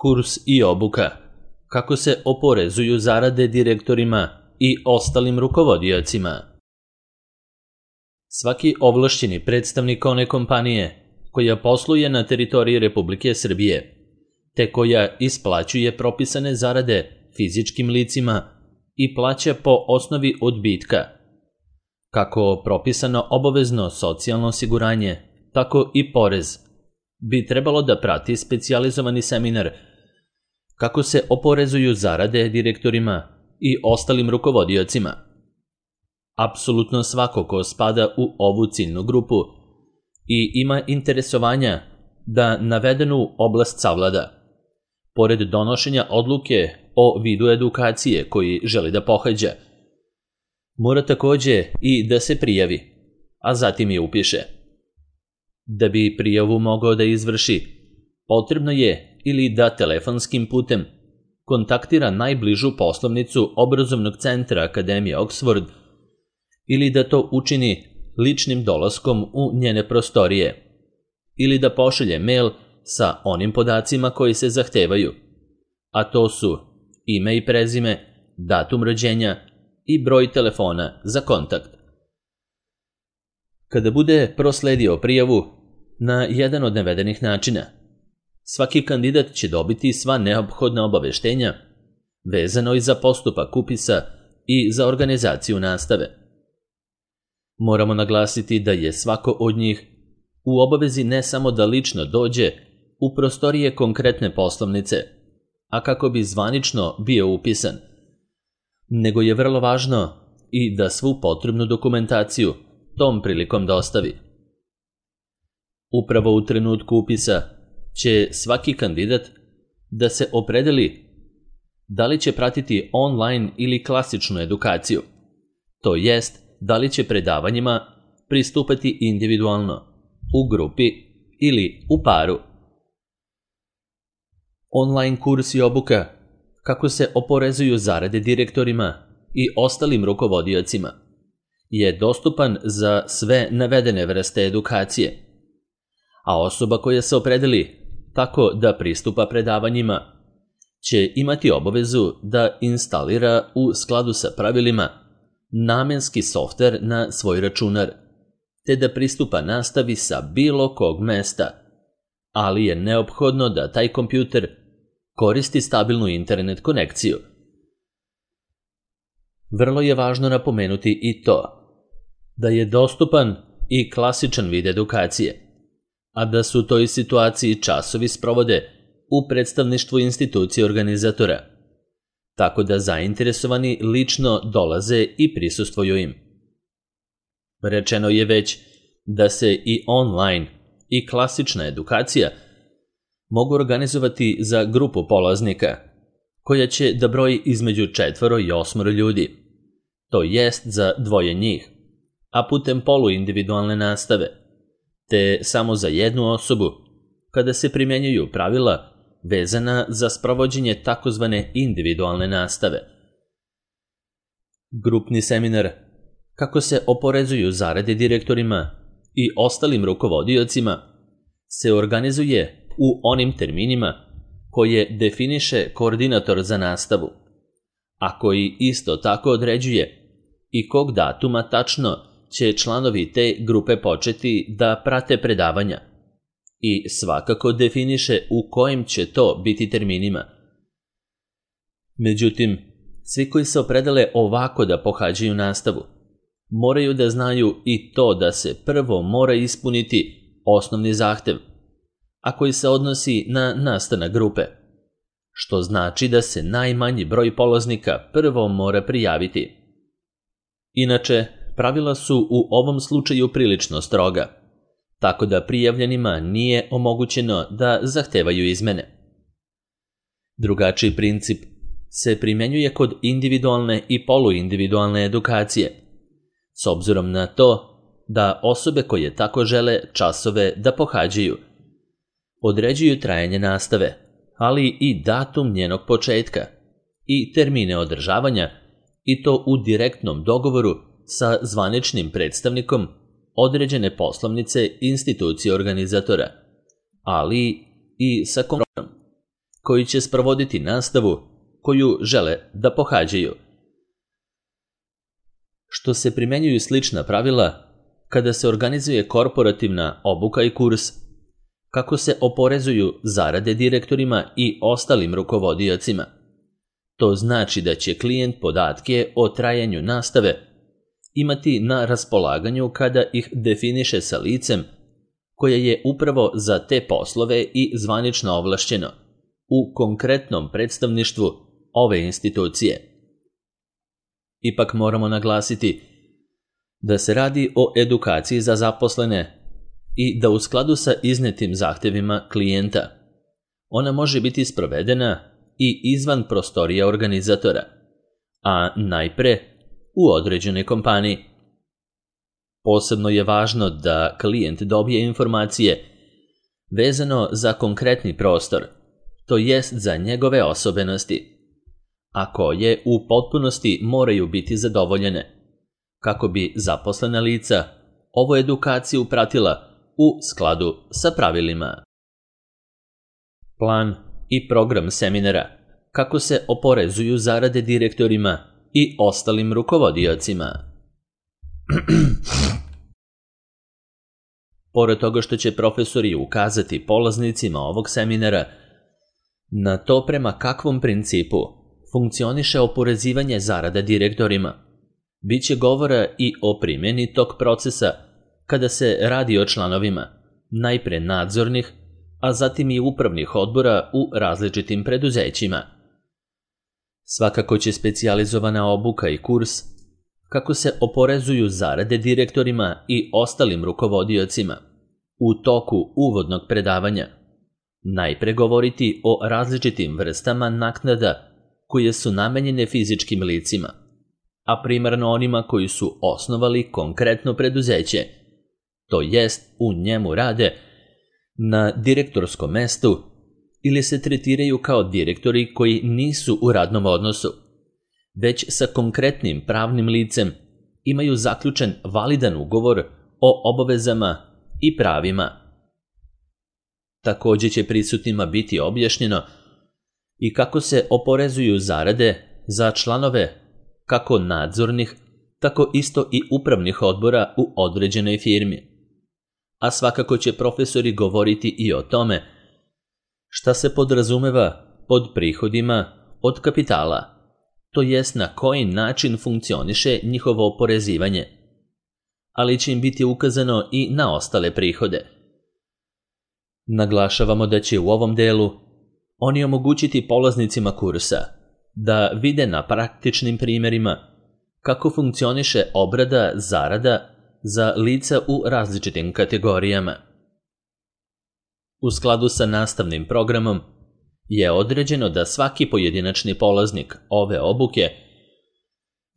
Kurs i obuka. Kako se oporezuju zarade direktorima i ostalim rukovodiocima. Svaki ovlašćeni predstavnik one kompanije koja posluje na teritoriji Republike Srbije, te koja isplaćuje propisane zarade fizičkim licima i plaća po osnovi odbitka, kako propisano obavezno socijalno osiguranje, tako i porez, bi trebalo da prati specijalizovani seminar kako se oporezuju zarade direktorima i ostalim rukovodiocima. Apsolutno svako ko spada u ovu ciljnu grupu i ima interesovanja da navedenu oblast savlada, pored donošenja odluke o vidu edukacije koji želi da pohađa, mora takođe i da se prijavi, a zatim je upiše. Da bi prijavu mogao da izvrši, potrebno je ili da telefonskim putem kontaktira najbližu poslovnicu obrazovnog centra Akademije Oxford ili da to učini ličnim dolaskom u njene prostorije ili da pošalje mail sa onim podacima koji se zahtevaju, a to su ime i prezime, datum rođenja i broj telefona za kontakt. Kada bude prosledio prijavu na jedan od navedenih načina, svaki kandidat će dobiti sva neophodna obaveštenja vezano i za postupak upisa i za organizaciju nastave. Moramo naglasiti da je svako od njih u obavezi ne samo da lično dođe u prostorije konkretne poslovnice, a kako bi zvanično bio upisan, nego je vrlo važno i da svu potrebnu dokumentaciju tom prilikom dostavi. Upravo u trenutku upisa će svaki kandidat da se opredeli da li će pratiti online ili klasičnu edukaciju, to jest da li će predavanjima pristupati individualno, u grupi ili u paru. Online kurs i obuka kako se oporezuju zarade direktorima i ostalim rukovodiocima je dostupan za sve navedene vrste edukacije, a osoba koja se opredeli tako da pristupa predavanjima će imati obavezu da instalira u skladu sa pravilima namenski softver na svoj računar, te da pristupa nastavi sa bilo kog mesta, ali je neophodno da taj kompjuter koristi stabilnu internet konekciju. Vrlo je važno napomenuti i to da je dostupan i klasičan vid edukacije, a da su u toj situaciji časovi sprovode u predstavništvu institucije organizatora, tako da zainteresovani lično dolaze i prisustvuju im. Rečeno je već da se i online i klasična edukacija mogu organizovati za grupu polaznika, koja će da broji između 4 i 8 ljudi, to jest za 2 njih, a putem poluindividualne nastave, te samo za jednu osobu, kada se primjenjuju pravila vezana za sprovođenje takozvane individualne nastave. Grupni seminar kako se oporezuju zarade direktorima i ostalim rukovodiocima se organizuje u onim terminima koje definiše koordinator za nastavu, a koji isto tako određuje i kog datuma tačno će članovi te grupe početi da prate predavanja i svakako definiše u kojim će to biti terminima. Međutim, svi koji se opredele ovako da pohađaju nastavu, moraju da znaju i to da se prvo mora ispuniti osnovni zahtev, a koji se odnosi na nastanak grupe, što znači da se najmanji broj polaznika prvo mora prijaviti. Inače, pravila su u ovom slučaju prilično stroga, tako da prijavljenima nije omogućeno da zahtevaju izmene. Drugačiji princip se primenjuje kod individualne i poluindividualne edukacije, s obzirom na to da osobe koje tako žele časove da pohađaju određuju trajanje nastave, ali i datum njenog početka i termine održavanja, i to u direktnom dogovoru sa zvaničnim predstavnikom određene poslovnice institucije organizatora, ali i sa kompromisom. koji će sprovoditi nastavu koju žele da pohađaju. Što se primenjuju slična pravila kada se organizuje korporativna obuka i kurs, kako se oporezuju zarade direktorima i ostalim rukovodiocima. To znači da će klijent podatke o trajanju nastave imati na raspolaganju kada ih definiše sa licem koje je upravo za te poslove i zvanično ovlašćeno u konkretnom predstavništvu ove institucije. Ipak moramo naglasiti da se radi o edukaciji za zaposlene i da u skladu sa iznetim zahtevima klijenta ona može biti sprovedena i izvan prostorija organizatora, a najpre u određenoj kompaniji. Posebno je važno da klijent dobije informacije vezano za konkretni prostor, to jest za njegove osobenosti, a koje u potpunosti moraju biti zadovoljene, kako bi zaposlena lica ovu edukaciju pratila u skladu sa pravilima. Plan i program seminara kako se oporezuju zarade direktorima i ostalim rukovodiocima. Pored toga što će profesori ukazati polaznicima ovog seminara na to prema kakvom principu funkcioniše oporezivanje zarada direktorima, bit će govora i o primjeni tog procesa kada se radi o članovima, najpre nadzornih, a zatim i upravnih odbora u različitim preduzećima. Svakako će specijalizovana obuka i kurs kako se oporezuju zarade direktorima i ostalim rukovodiocima u toku uvodnog predavanja najpre govoriti o različitim vrstama naknada koje su namenjene fizičkim licima, a primarno onima koji su osnovali konkretno preduzeće, to jest u njemu rade na direktorskom mestu ili se tretiraju kao direktori koji nisu u radnom odnosu, već sa konkretnim pravnim licem imaju zaključen validan ugovor o obavezama i pravima. Također će prisutnima biti objašnjeno i kako se oporezuju zarade za članove kako nadzornih, tako isto i upravnih odbora u određenoj firmi. A svakako će profesori govoriti i o tome šta se podrazumeva pod prihodima od kapitala, to jest na koji način funkcioniše njihovo oporezivanje, ali će im biti ukazano i na ostale prihode. Naglašavamo da će u ovom delu oni omogućiti polaznicima kursa da vide na praktičnim primjerima kako funkcioniše obrada zarada za lica u različitim kategorijama. U skladu sa nastavnim programom je određeno da svaki pojedinačni polaznik ove obuke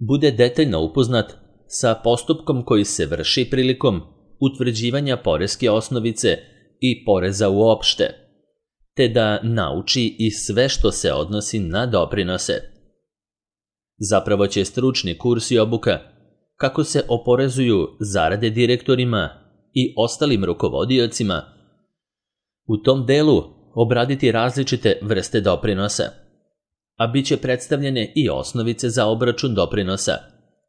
bude detaljno upoznat sa postupkom koji se vrši prilikom utvrđivanja poreske osnovice i poreza uopšte, te da nauči i sve što se odnosi na doprinose. Zapravo će stručni kurs i obuka kako se oporezuju zarade direktorima i ostalim rukovodiocima u tom delu obraditi različite vrste doprinosa, a bit će predstavljene i osnovice za obračun doprinosa,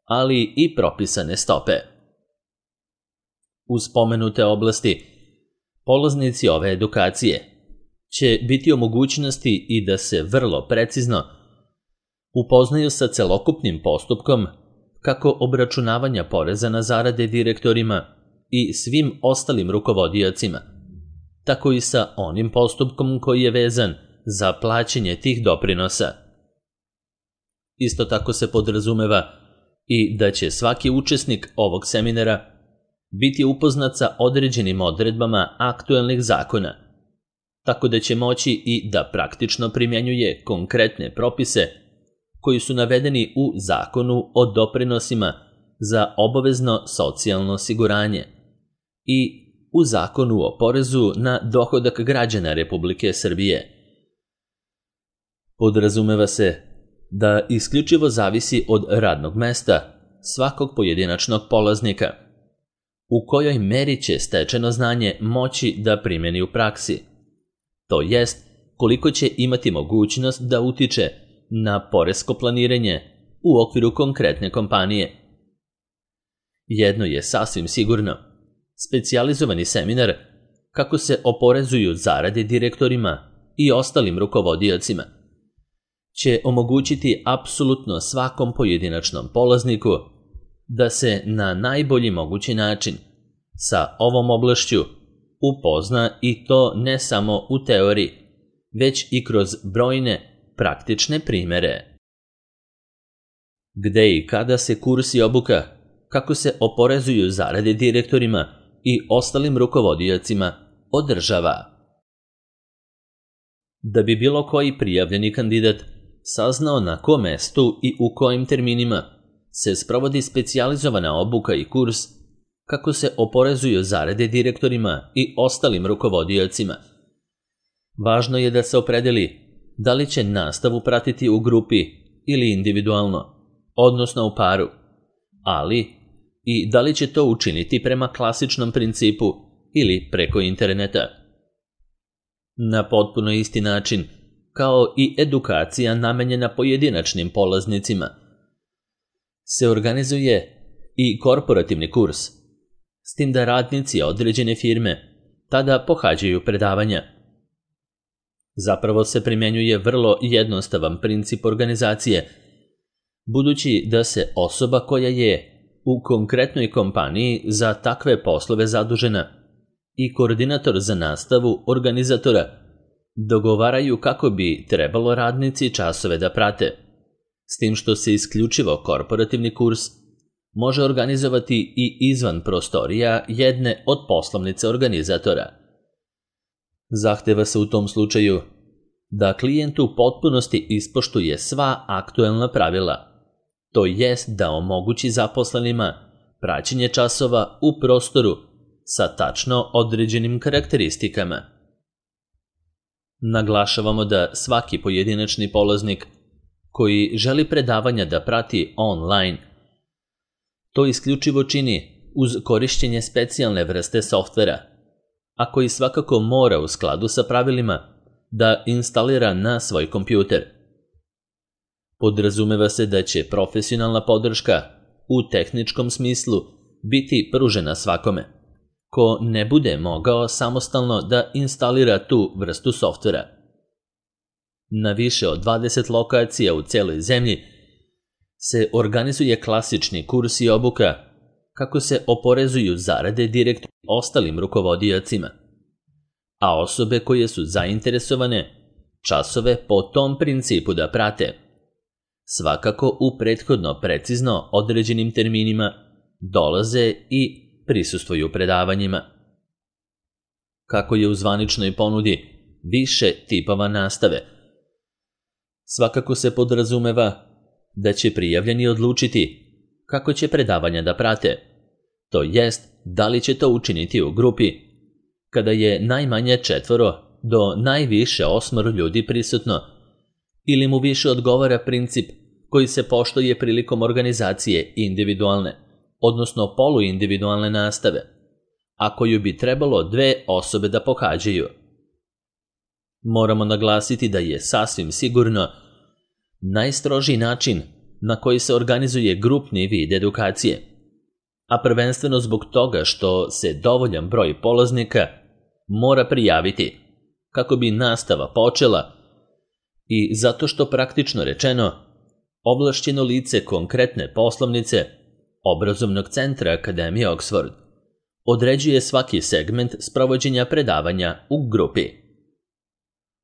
ali i propisane stope. U spomenute oblasti polaznici ove edukacije će biti u mogućnosti i da se vrlo precizno upoznaju sa celokupnim postupkom kako obračunavanja poreza na zarade direktorima i svim ostalim rukovodiocima, tako i sa onim postupkom koji je vezan za plaćanje tih doprinosa. Isto tako se podrazumeva i da će svaki učesnik ovog seminara biti upoznat sa određenim odredbama aktuelnih zakona, tako da će moći i da praktično primjenjuje konkretne propise koji su navedeni u Zakonu o doprinosima za obavezno socijalno osiguranje i u Zakonu o porezu na dohodak građana Republike Srbije. Podrazumeva se da isključivo zavisi od radnog mesta svakog pojedinačnog polaznika, u kojoj meri će stečeno znanje moći da primjeni u praksi, to jest koliko će imati mogućnost da utiče na poresko planiranje u okviru konkretne kompanije. Jedno je sasvim sigurno, specijalizovani seminar kako se oporezuju zarade direktorima i ostalim rukovodiocima će omogućiti apsolutno svakom pojedinačnom polazniku da se na najbolji mogući način sa ovom oblašću upozna, i to ne samo u teoriji, već i kroz brojne praktične primere. Gde i kada se kurs i obuka kako se oporezuju zarade direktorima i ostalim rukovodiocima održava? Da bi bilo koji prijavljeni kandidat saznao na kom mestu i u kojim terminima se sprovodi specijalizovana obuka i kurs kako se oporezuju zarade direktorima i ostalim rukovodiocima, važno je da se opredeli da li će nastavu pratiti u grupi ili individualno, odnosno u paru, ali i da li će to učiniti prema klasičnom principu ili preko interneta. Na potpuno isti način kao i edukacija namenjena pojedinačnim polaznicima se organizuje i korporativni kurs, s tim da radnici određene firme tada pohađaju predavanja. Zapravo se primjenjuje vrlo jednostavan princip organizacije, budući da se osoba koja je u konkretnoj kompaniji za takve poslove zadužena i koordinator za nastavu organizatora dogovaraju kako bi trebalo radnici časove da prate, s tim što se isključivo korporativni kurs može organizovati i izvan prostorija jedne od poslovnice organizatora. Zahteva se u tom slučaju da klijent u potpunosti ispoštuje sva aktuelna pravila, to jest da omogući zaposlenima praćenje časova u prostoru sa tačno određenim karakteristikama. Naglašavamo da svaki pojedinačni polaznik koji želi predavanja da prati online to isključivo čini uz korišćenje specijalne vrste softvera, a koji svakako mora u skladu sa pravilima da instalira na svoj kompjuter. Podrazumeva se da će profesionalna podrška u tehničkom smislu biti pružena svakome ko ne bude mogao samostalno da instalira tu vrstu softvera. Na više od 20 lokacija u celoj zemlji se organizuje klasični kurs i obuka kako se oporezuju zarade direktora i ostalim rukovodiocima, a osobe koje su zainteresovane časove po tom principu da prate, svakako u prethodno precizno određenim terminima dolaze i prisustvuju predavanjima. Kako je u zvaničnoj ponudi više tipova nastave, svakako se podrazumeva da će prijavljeni odlučiti kako će predavanja da prate, to jest da li će to učiniti u grupi, kada je najmanje 4 do najviše 8 ljudi prisutno, ili mu više odgovara princip koji se poštuje prilikom organizacije individualne, odnosno poluindividualne nastave, a koju bi trebalo 2 osobe da pohađaju. Moramo naglasiti da je sasvim sigurno najstrožiji način na koji se organizuje grupni vid edukacije, a prvenstveno zbog toga što se dovoljan broj polaznika mora prijaviti kako bi nastava počela i zato što praktično rečeno ovlašćeno lice konkretne poslovnice obrazovnog centra Akademije Oxford određuje svaki segment sprovođenja predavanja u grupi.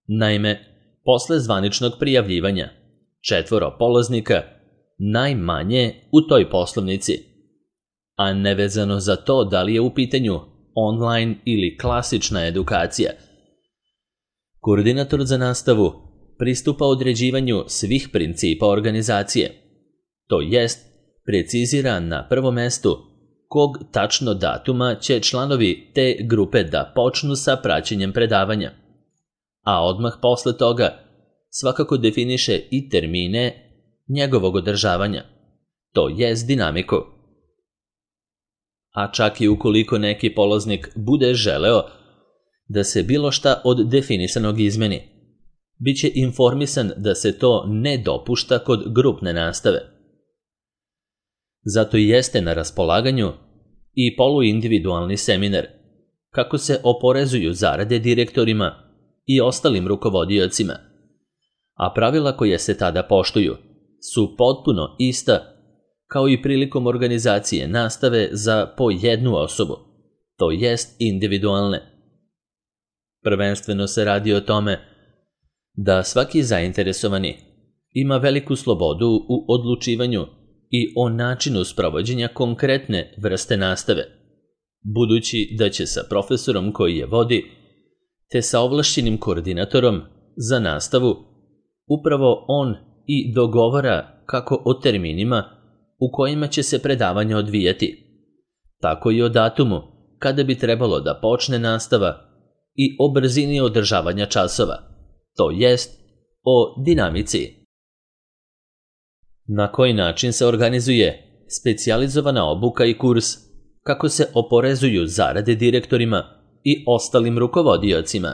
Naime, posle zvaničnog prijavljivanja 4 polaznika najmanje u toj poslovnici, a nevezano za to da li je u pitanju online ili klasična edukacija, koordinator za nastavu pristupa određivanju svih principa organizacije, to jest precizira na prvom mestu kog tačno datuma će članovi te grupe da počnu sa praćenjem predavanja, a odmah posle toga svakako definiše i termine njegovog održavanja, to jest dinamiku. A čak i ukoliko neki polaznik bude želeo da se bilo šta od definisanog izmeni, biće informisan da se to ne dopušta kod grupne nastave. Zato i jeste na raspolaganju i poluindividualni seminar kako se oporezuju zarade direktorima i ostalim rukovodiocima, a pravila koja se tada poštuju su potpuno ista kao i prilikom organizacije nastave za po jednu osobu, to jest individualne. Prvenstveno se radi o tome da svaki zainteresovani ima veliku slobodu u odlučivanju i o načinu sprovođenja konkretne vrste nastave, budući da će sa profesorom koji je vodi, te sa ovlašćenim koordinatorom za nastavu, upravo on i dogovara kako o terminima u kojima će se predavanje odvijati, tako i o datumu kada bi trebalo da počne nastava i o brzini održavanja časova, to jest o dinamici. Na koji način se organizuje specijalizovana obuka i kurs, kako se oporezuju zarade direktorima i ostalim rukovodiocima.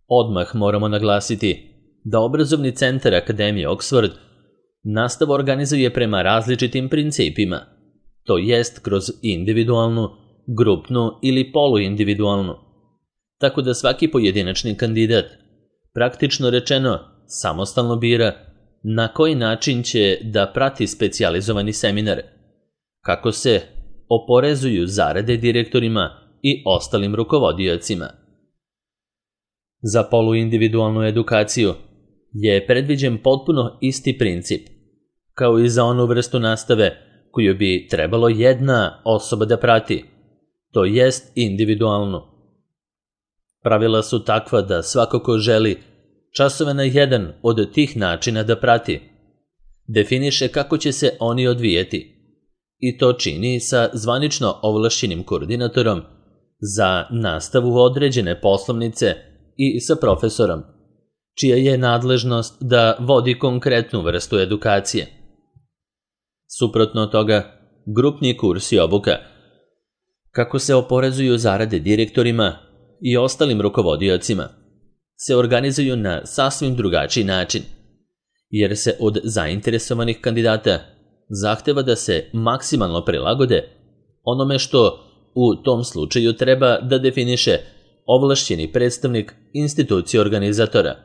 Odmah moramo naglasiti da obrazovni centar Akademije Oxford nastavu organizuje prema različitim principima, to jest kroz individualnu, grupnu ili poluindividualnu, tako da svaki pojedinačni kandidat, praktično rečeno, samostalno bira na koji način će da prati specijalizovani seminar, kako se oporezuju zarade direktorima i ostalim rukovodiocima. Za poluindividualnu edukaciju je predviđen potpuno isti princip, kao i za onu vrstu nastave koju bi trebalo jedna osoba da prati, to jest individualnu. Pravila su takva da svako ko želi časove na jedan od tih načina da prati, definiše kako će se oni odvijeti i to čini sa zvanično ovlašćenim koordinatorom za nastavu određene poslovnice i sa profesorom, čija je nadležnost da vodi konkretnu vrstu edukacije. Suprotno toga, grupni kurs i obuka, kako se oporezuju zarade direktorima i ostalim rukovodiocima, se organizuju na sasvim drugačiji način, jer se od zainteresovanih kandidata zahteva da se maksimalno prilagode onome što u tom slučaju treba da definiše ovlašćeni predstavnik institucije organizatora.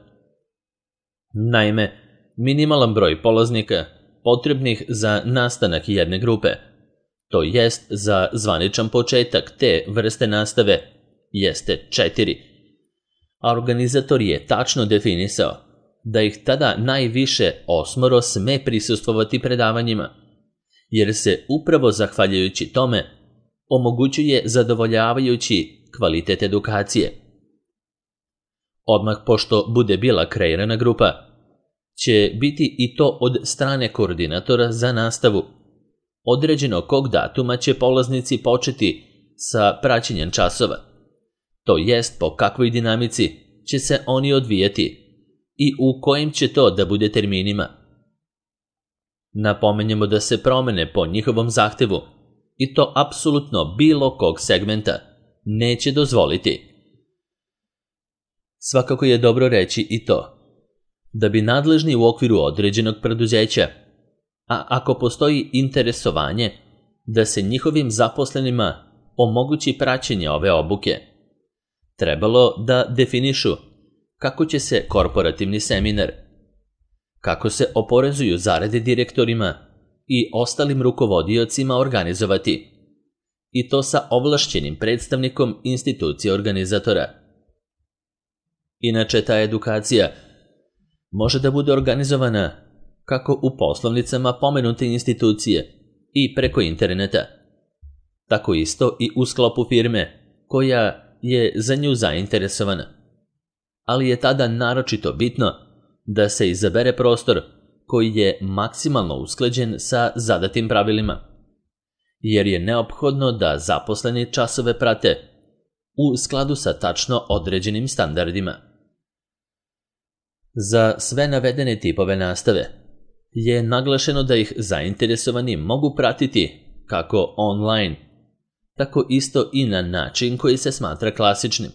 Naime, minimalan broj polaznika potrebnih za nastanak jedne grupe, to jest za zvaničan početak te vrste nastave, jeste 4, a organizator je tačno definisao da ih tada najviše 8 sme prisustvovati predavanjima, jer se upravo zahvaljujući tome omogućuje zadovoljavajući kvalitet edukacije. Odmah pošto bude bila kreirana grupa, će biti i to od strane koordinatora za nastavu. Određeno kog datuma će polaznici početi sa praćenjem časova, to jest po kakvoj dinamici će se oni odvijeti i u kojim će to da bude terminima. Napomenjemo da se promene po njihovom zahtevu, i to apsolutno bilo kog segmenta, neće dozvoliti. Svakako je dobro reći i to, da bi nadležni u okviru određenog preduzeća, a ako postoji interesovanje da se njihovim zaposlenima omogući praćenje ove obuke, trebalo da definišu kako će se korporativni seminar, kako se oporezuju zarade direktorima i ostalim rukovodiocima organizovati, i to sa ovlašćenim predstavnikom institucije organizatora. Inače, ta edukacija može da bude organizovana kako u poslovnicama pomenute institucije i preko interneta, tako isto i u sklopu firme koja je za nju zainteresovana. Ali je tada naročito bitno da se izabere prostor koji je maksimalno usklađen sa zadatim pravilima, jer je neophodno da zaposleni časove prate u skladu sa tačno određenim standardima. Za sve navedene tipove nastave je naglašeno da ih zainteresovani mogu pratiti kako online, tako isto i na način koji se smatra klasičnim.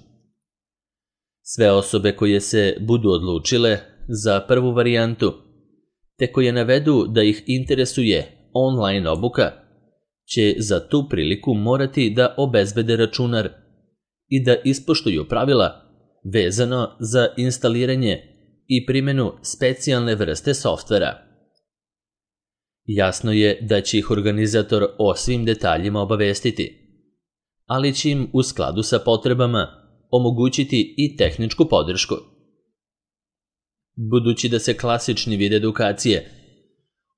Sve osobe koje se budu odlučile za prvu varijantu, te koje navedu da ih interesuje online obuka, će za tu priliku morati da obezbede računar i da ispoštuju pravila vezano za instaliranje i primjenu specijalne vrste softvera. Jasno je da će ih organizator o svim detaljima obavestiti, ali će im u skladu sa potrebama omogućiti i tehničku podršku. Budući da se klasični vid edukacije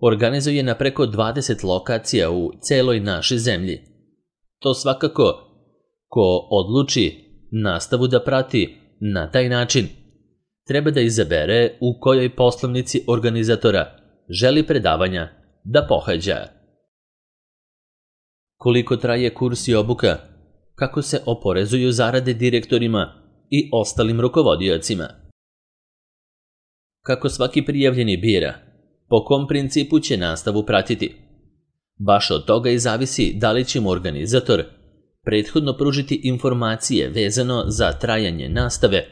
organizuje na preko 20 lokacija u celoj našoj zemlji, to svakako ko odluči nastavu da prati na taj način treba da izabere u kojoj poslovnici organizatora želi predavanja da pohađa. Koliko traje kurs i obuka, kako se oporezuju zarade direktorima i ostalim rukovodiocima. Kako svaki prijavljeni bira, po kom principu će nastavu pratiti. Baš od toga i zavisi da li će mu organizator prethodno pružiti informacije vezano za trajanje nastave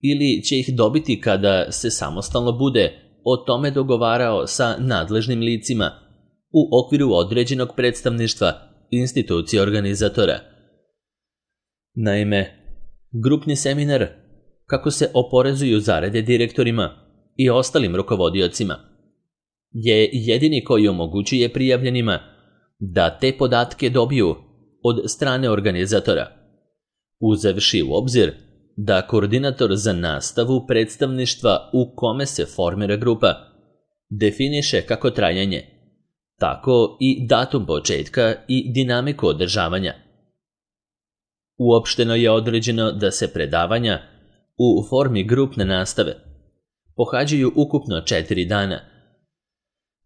ili će ih dobiti kada se samostalno bude o tome dogovarao sa nadležnim licima u okviru određenog predstavništva institucije organizatora. Naime, grupni seminar kako se oporezuju zarade direktorima i ostalim rukovodiocima je jedini koji omogućuje prijavljenima da te podatke dobiju od strane organizatora, uzevši u obzir da koordinator za nastavu predstavništva u kome se formira grupa definiše kako trajanje, tako i datum početka i dinamiku održavanja. Uopšteno je određeno da se predavanja u formi grupne nastave pohađaju ukupno 4 dana,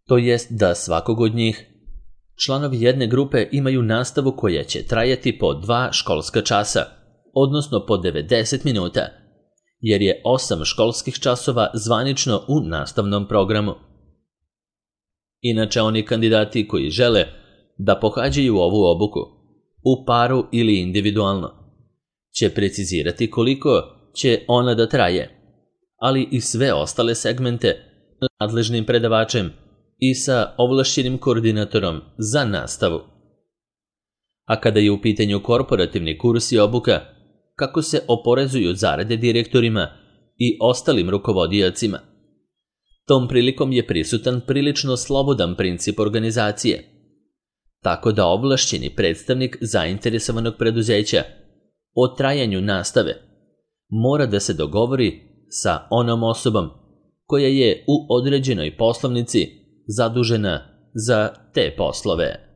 to jest da svakog od njih članovi jedne grupe imaju nastavu koja će trajati po 2 školska časa, odnosno po 90 minuta, jer je 8 školskih časova zvanično u nastavnom programu. Inače, oni kandidati koji žele da pohađaju ovu obuku, u paru ili individualno, će precizirati koliko će ona da traje, ali i sve ostale segmente nadležnim predavačem i sa ovlašćenim koordinatorom za nastavu. A kada je u pitanju korporativni kurs i obuka, kako se oporezuju zarade direktorima i ostalim rukovodiocima, tom prilikom je prisutan prilično slobodan princip organizacije, tako da ovlašćeni predstavnik zainteresovanog preduzeća o trajanju nastave mora da se dogovori sa onom osobom koja je u određenoj poslovnici zadužena za te poslove.